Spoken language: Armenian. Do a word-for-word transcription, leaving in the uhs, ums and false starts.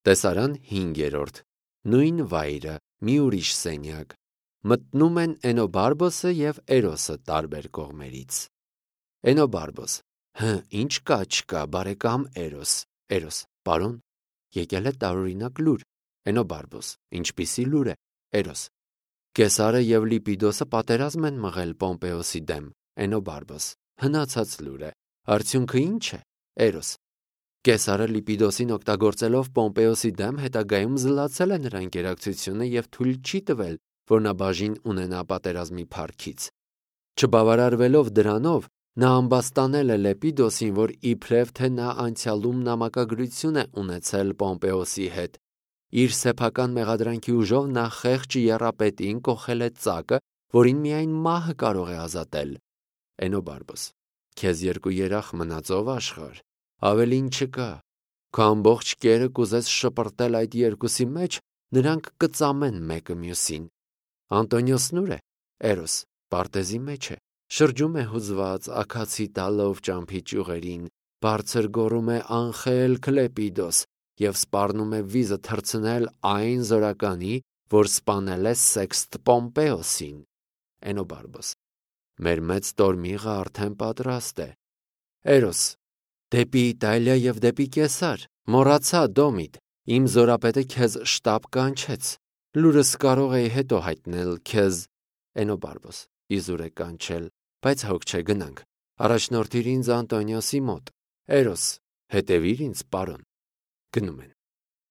Տեսարան հինգերորդ. Նույն վայրը, մի ուրիշ սենյակ, մտնում են Էնոբարբոսը և Էրոսը տարբեր կողմերից։ Էնոբարբոս. հը, ինչ կա չկա, բարեկամ Էրոս։ Էրոս. պարոն, եկել է տարօրինակ լուր։ Էնոբարբոս. ինչպիսի լուր է։ Էրոս. Կեսարը և Լիպիդոսը պատերազմ են մղել Պոմպեոսի դեմ։ Էնոբարբոս. հնացած լուր է, արդյունքը ինչ է։ Էրոս. Կեսարը Լիպիդոսին օգտագործելով Պոմպեոսի դեմ հետագայում զլացել է նրա ընկերակցությունը և թույլ չի տվել, որ նա բաժին ունենա պատերազմի փառքից։ Չբավարարվելով դրանով, նա ամբաստանել է Լեպիդոսին, որ իբրև թե նա անցյալում նամակագրություն է ունեցել Պոմպեոսի հետ։ Իր սեփական մեղադրանքի ուժով նա խեղճ եռապետին կոխել է ծակը, որին միայն մահը կարող է ազատել։ Էնոբարբոս. քեզ երկու երախ մնացով աշխարհ, ավելին չկա։ Քո ամբողջ կերը կուզես շպրտել այդ երկուսի մեջ, նրանք կծամեն մեկը մյուսին։ Անտոնիոսն ուր է։ Էրոս. պարտեզի մեջ է, շրջում է հուզված, աքացի տալով ճամփի ճյուղերին, բարձր գոռում է անխելք Լեպիդոս և սպառնում է վիզը թռցնել այն զորականի, որ սպանել է Սեքստ Պոմպեոսին։ Էնոբարբոս. մեր մեծ տորմիղը արդեն պատրաստ է։ Էրոս. դեպի Իտալիա և դեպի Կեսար, մոռացա Դոմիդ, իմ զորապետը քեզ շտապ կանչեց, լուրս կարող էի հետո հայտնել քեզ։ Էնոբարբոս. իզուր է կանչել, բայց հոգ չէ, գնանք, առաջնորդիր ինձ Անտոնիոսի մոտ։ Էրոս. հետևիր ինձ, պարոն։ Գնում են։